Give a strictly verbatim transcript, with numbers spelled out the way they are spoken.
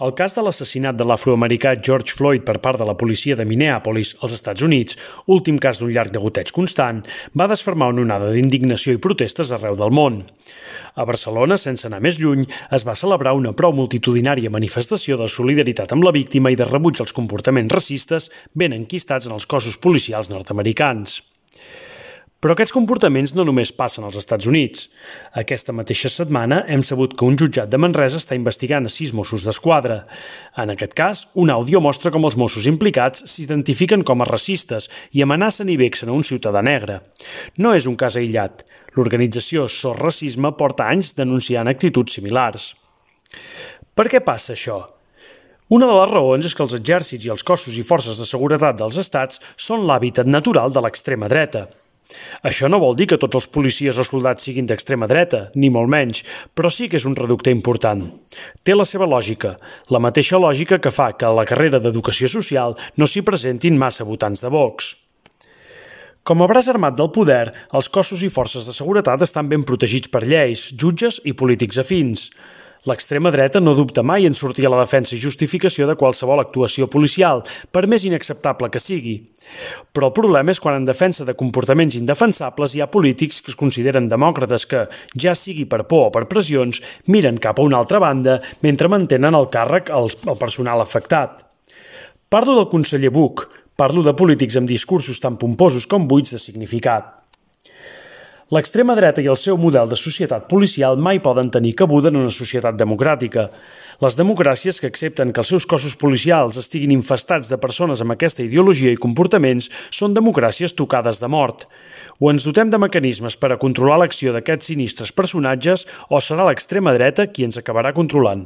El cas de l'assassinat de l'afroamericà George Floyd per part de la policia de Minneapolis, als Estats Units, últim cas d'un llarg degoteig constant, va desfermar una onada d'indignació i protestes arreu del món. A Barcelona, sense anar més lluny, es va celebrar una prou multitudinària manifestació de solidaritat amb la víctima i de rebuig als comportaments racistes ben enquistats en els cossos policials nord-americans. Però aquests comportaments no només passen als Estats Units. Aquesta mateixa setmana hem sabut que un jutjat de Manresa està investigant a sis Mossos d'Esquadra. En aquest cas, un àudio mostra com els Mossos implicats s'identifiquen com a racistes i amenacen i vexen a un ciutadà negre. No és un cas aïllat. L'organització Sos Racisme porta anys denunciant actituds similars. Per què passa això? Una de les raons és que els exèrcits i els cossos i forces de seguretat dels estats són l'hàbitat natural de l'extrema dreta. Això no vol dir que tots els policies o soldats siguin d'extrema dreta, ni molt menys, però sí que és un reducte important. Té la seva lògica, la mateixa lògica que fa que a la carrera d'educació social no s'hi presentin massa votants de Vox. Com a braç armat del poder, els cossos i forces de seguretat estan ben protegits per lleis, jutges i polítics afins. L'extrema dreta no dubta mai en sortir a la defensa i justificació de qualsevol actuació policial, per més inacceptable que sigui. Però el problema és quan en defensa de comportaments indefensables hi ha polítics que es consideren demòcrates que, ja sigui per por o per pressions, miren cap a una altra banda mentre mantenen el càrrec al personal afectat. Parlo del conseller Buch, parlo de polítics amb discursos tan pomposos com buits de significat. L'extrema dreta i el seu model de societat policial mai poden tenir cabuda en una societat democràtica. Les democràcies que accepten que els seus cossos policials estiguin infestats de persones amb aquesta ideologia i comportaments són democràcies tocades de mort. O ens dotem de mecanismes per a controlar l'acció d'aquests sinistres personatges o serà l'extrema dreta qui ens acabarà controlant.